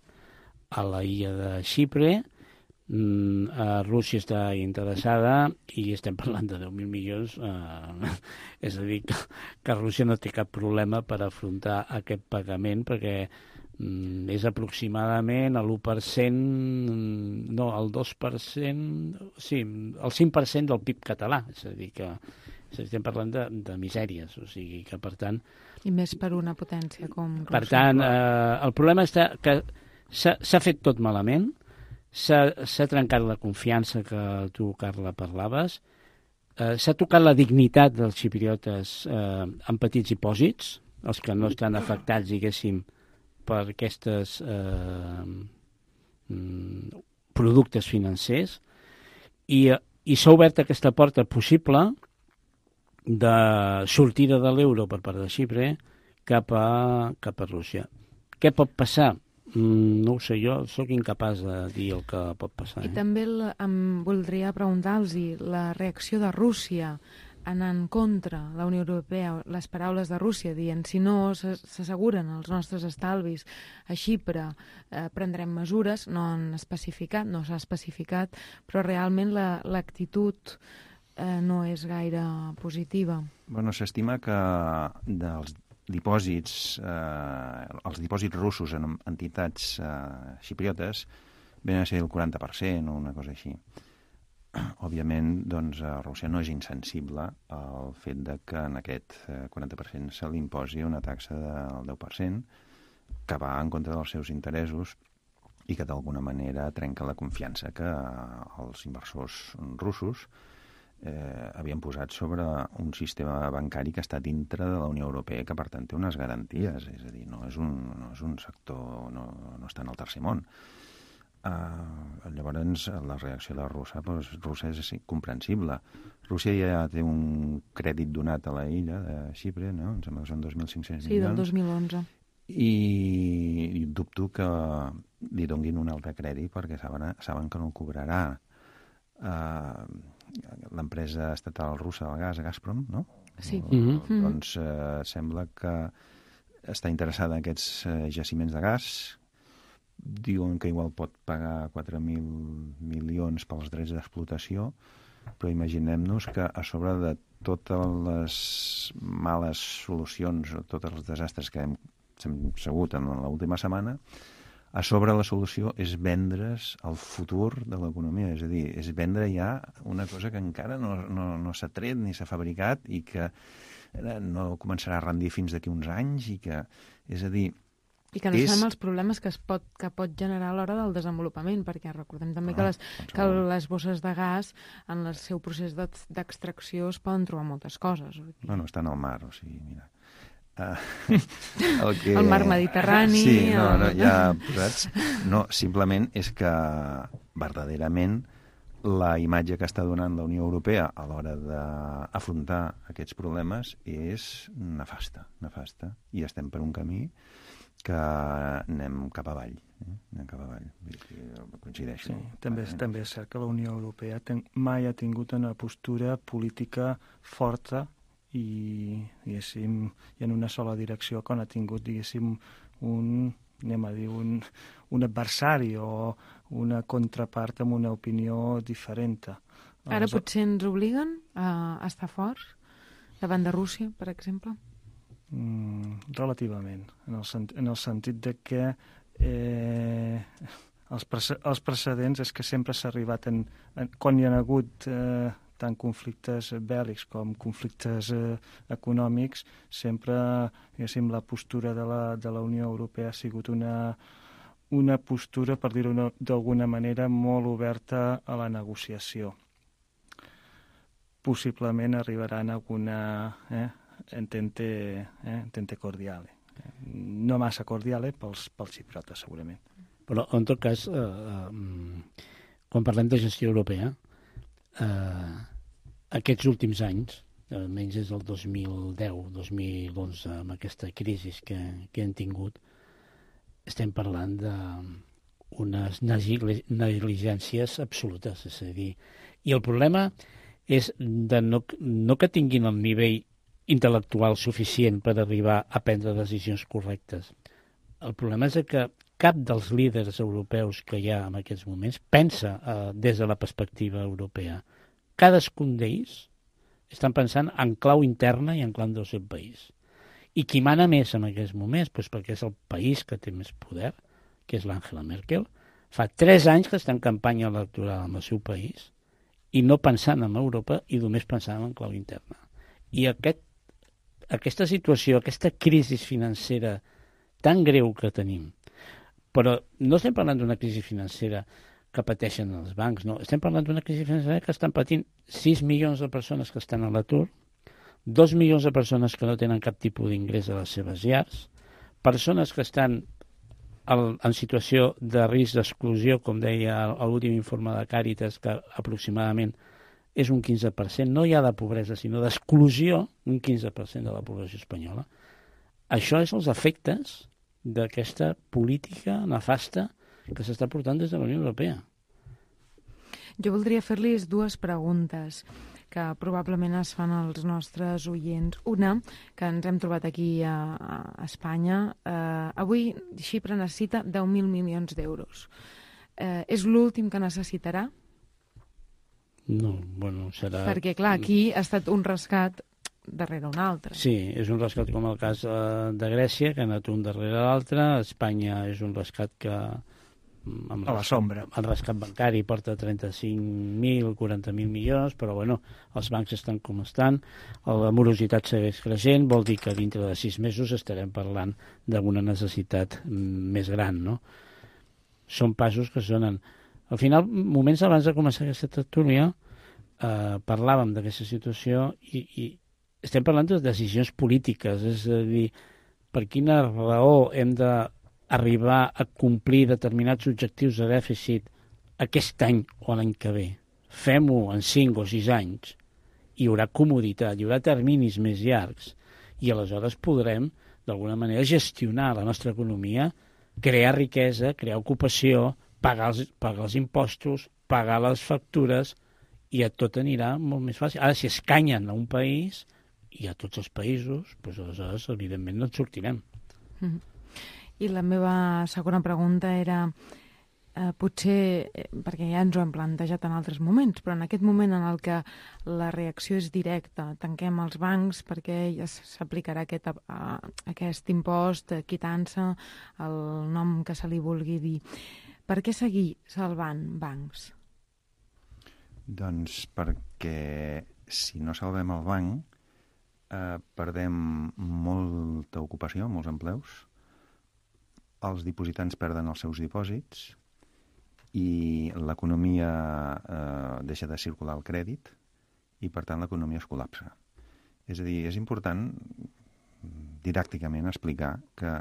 a la illa de Xipre. Rússia està interessada i estem parlant de 10.000 milions. És a dir, que Rússia no té cap problema per afrontar aquest pagament, perquè és aproximadament l'1%, no, el 2%, sí, el 5% del PIB català. És a dir, que estem parlant de misèries, o sigui que, per tant... I més per una potència com Rússia. Per tant, el problema està que s'ha fet tot malament, s'ha trencat la confiança que tu, Carla, parlaves, s'ha tocat la dignitat dels xipriotes en petits dipòsits, els que no estan afectats, diguéssim, per aquests productes financers, i s'ha obert aquesta porta possible de sortida de l'euro per part de Xipre cap a Rússia. Què pot passar? No ho sé, jo sóc incapaç de dir el que pot passar. I també em voldria preguntar-los la reacció de Rússia anant contra la Unió Europea, les paraules de Rússia dient si no s'asseguren els nostres estalvis a Xipre prendrem mesures, no s'ha especificat, però realment l'actitud no és gaire positiva. Bueno, s'estima que dels dipòsits, els dipòsits russos en entitats xipriotes venen a ser el 40% o una cosa així. Òbviament, doncs, Rússia no és insensible al fet de que en aquest 40% se li imposi una taxa del 10% que va en contra dels seus interessos i que d'alguna manera trenca la confiança que els inversors russos havien posat sobre un sistema bancari que està dintre de la Unió Europea i que, per tant, té unes garanties. És a dir, no és un sector, no està en el tercer món. Llavors, la reacció de Rússia és comprensible. Rússia ja té un crèdit donat a la illa de Xipre, no? Em sembla que són 2.500 milions. Sí, del 2011. I dubto que li donguin un altre crèdit perquè saben que no cobrarà. L'empresa estatal russa del gas, Gazprom, no? Sí. Doncs sembla que està interessada en aquests jaciments de gas. Diuen que igual pot pagar 4.000 milions pels drets d'explotació, però imaginem-nos que a sobre de totes les males solucions o tots els desastres que hem segut en l'última setmana, a sobre la solució és vendre's el futur de l'economia, és a dir, és vendre ja una cosa que encara no s'ha tret ni s'ha fabricat i que no començarà a rendir fins d'aquí uns anys i que, és a dir... I que no sabem els problemes que pot generar a l'hora del desenvolupament, perquè recordem també que les bosses de gas en el seu procés d'extracció es poden trobar moltes coses. Bueno, estan al mar, o sigui, mira... El mar Mediterrani... Sí, ja posats. No, simplement és que verdaderament la imatge que està donant la Unió Europea a l'hora d'afrontar aquests problemes és nefasta. I estem per un camí que anem cap avall. Coincideixo. Sí, també és cert que la Unió Europea mai ha tingut una postura política forta i, diguéssim, i en una sola direcció, quan ha tingut, diguéssim, un adversari o una contrapart amb una opinió diferent. Ara potser ens obliguen a estar forts davant de Rússia, per exemple? Relativament, en el sentit de que els precedents és que sempre s'ha arribat, quan hi ha hagut tant conflictes bèl·lics com conflictes econòmics, sempre, diguéssim, la postura de la Unió Europea ha sigut una postura, per dir-ho d'alguna manera, molt oberta a la negociació. Possiblement arribaran a alguna entente cordiale. No massa cordiale pels xipriotes, segurament. Però, en tot cas, quan parlem de gestió europea, aquests últims anys, almenys des del 2010-2011, amb aquesta crisi que hem tingut, estem parlant unes negligències absolutes, és a dir, i el problema és de no que tinguin el nivell intel·lectual suficient per arribar a prendre decisions correctes. El problema és que cap dels líders europeus que hi ha en aquests moments pensa des de la perspectiva europea. Cadascun d'ells estan pensant en clau interna i en clau del seu país. I qui mana més en aquests moments? Doncs perquè és el país que té més poder, que és l'Angela Merkel. Fa 3 anys que està en campanya electoral en el seu país i no pensant en Europa i només pensant en clau interna. I aquesta situació, aquesta crisi financera tan greu que tenim, però no estem parlant d'una crisi financera que pateixen els bancs, no. Estem parlant d'una crisi financera que estan patint 6 milions de persones que estan a l'atur, 2 milions de persones que no tenen cap tipus d'ingrés a les seves llars, persones que estan en situació de risc d'exclusió, com deia l'últim informe de Càritas, que aproximadament és un 15%, no hi ha de pobresa, sinó d'exclusió, un 15% de la població espanyola. Això és els efectes d'aquesta política nefasta que s'està portant des de la Unió Europea. Jo voldria fer-li 2 preguntes que probablement es fan als nostres oients. Una, que ens hem trobat aquí a Espanya. Avui Xipre necessita 10.000 milions d'euros. És l'últim que necessitarà? No, bueno, serà... Perquè, clar, aquí ha estat un rescat darrere un altre. Sí, és un rescat com el cas de Grècia, que ha anat un darrere l'altre. Espanya és un rescat que... a la sombra. El rescat bancari porta 35.000, 40.000 milions, però bueno, els bancs estan com estan, la morositat segueix creixent, vol dir que dintre de 6 mesos estarem parlant d'una necessitat més gran, no? Són passos que sonen. Al final, moments abans de començar aquesta tertúlia, parlàvem d'aquesta situació i estem parlant de decisions polítiques, és a dir, per quina raó hem d'arribar a complir determinats objectius de dèficit aquest any o l'any que ve. Fem-ho en 5 o 6 anys, hi haurà comoditat, hi haurà terminis més llargs i aleshores podrem, d'alguna manera, gestionar la nostra economia, crear riquesa, crear ocupació, pagar els impostos, pagar les factures i tot anirà molt més fàcil. Ara, si escanyen a un país i a tots els països, doncs aleshores, evidentment, no et sortirem. I la meva segona pregunta era, potser, perquè ja ens ho hem plantejat en altres moments, però en aquest moment en el que la reacció és directa, tanquem els bancs perquè ja s'aplicarà aquest impost, quitança, el nom que se li vulgui dir. Per què seguir salvant bancs? Doncs perquè si no salvem el banc, perdem molta ocupació, molts empleus, els dipositants perden els seus dipòsits i l'economia deixa de circular el crèdit i, per tant, l'economia es col·lapsa. És a dir, és important didàcticament explicar que,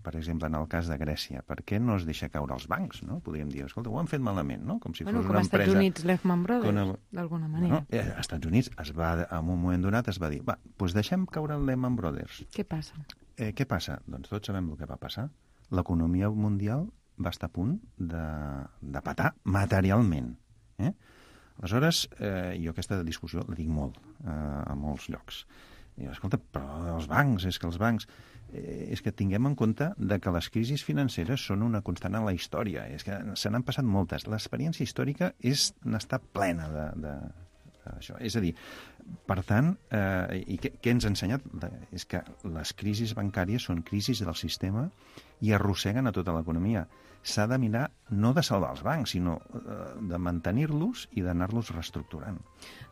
per exemple, en el cas de Grècia, per què no es deixa caure els bancs, no? Podríem dir, escolta, ho han fet malament, no? Com si fos una empresa... Com a Estats Units, Lehman Brothers, d'alguna manera. Als Estats Units, en un moment donat es va dir, va, doncs deixem caure el Lehman Brothers. Què passa? Què passa? Doncs tots sabem el que va passar. L'economia mundial va estar a punt de patar materialment. Aleshores, jo aquesta discussió la dic molt a molts llocs. I escolta, però els bancs, és que els bancs... és que tinguem en compte que les financeres són una constant a la història. És que se n'han passat moltes. L'experiència històrica n'està plena d'això. És a dir, per tant, i què ens ha ensenyat? És que les crisis bancàries són crisis del sistema i arrosseguen a tota l'economia. S'ha de mirar no de salvar els bancs, sinó de mantenir-los i d'anar-los reestructurant.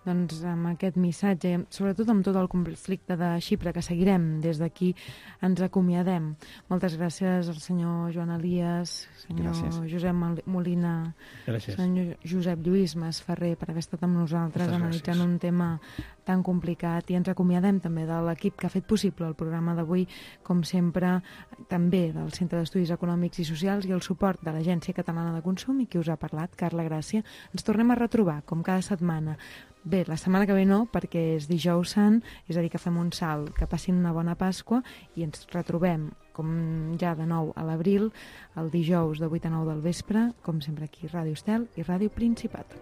Doncs amb aquest missatge, sobretot amb tot el conflicte de Xipre que seguirem des d'aquí, ens acomiadem. Moltes gràcies al senyor Joan Elias, senyor Josep Molina, senyor Josep Lluís Masferrer per haver estat amb nosaltres analitzant un tema tan complicat, i ens acomiadem també de l'equip que ha fet possible el programa d'avui, com sempre, també del Centre d'Estudis Econòmics i Socials i el suport de l'Agència Catalana de Consum, i qui us ha parlat, Carla Gràcia. Ens tornem a retrobar, com cada setmana. Bé, la setmana que ve no, perquè és dijous sant, és a dir, que fem un salt, que passin una bona Pasqua i ens retrobem, com ja de nou a l'abril, el dijous de 8 a 9 del vespre, com sempre aquí, Ràdio Estel i Ràdio Principat.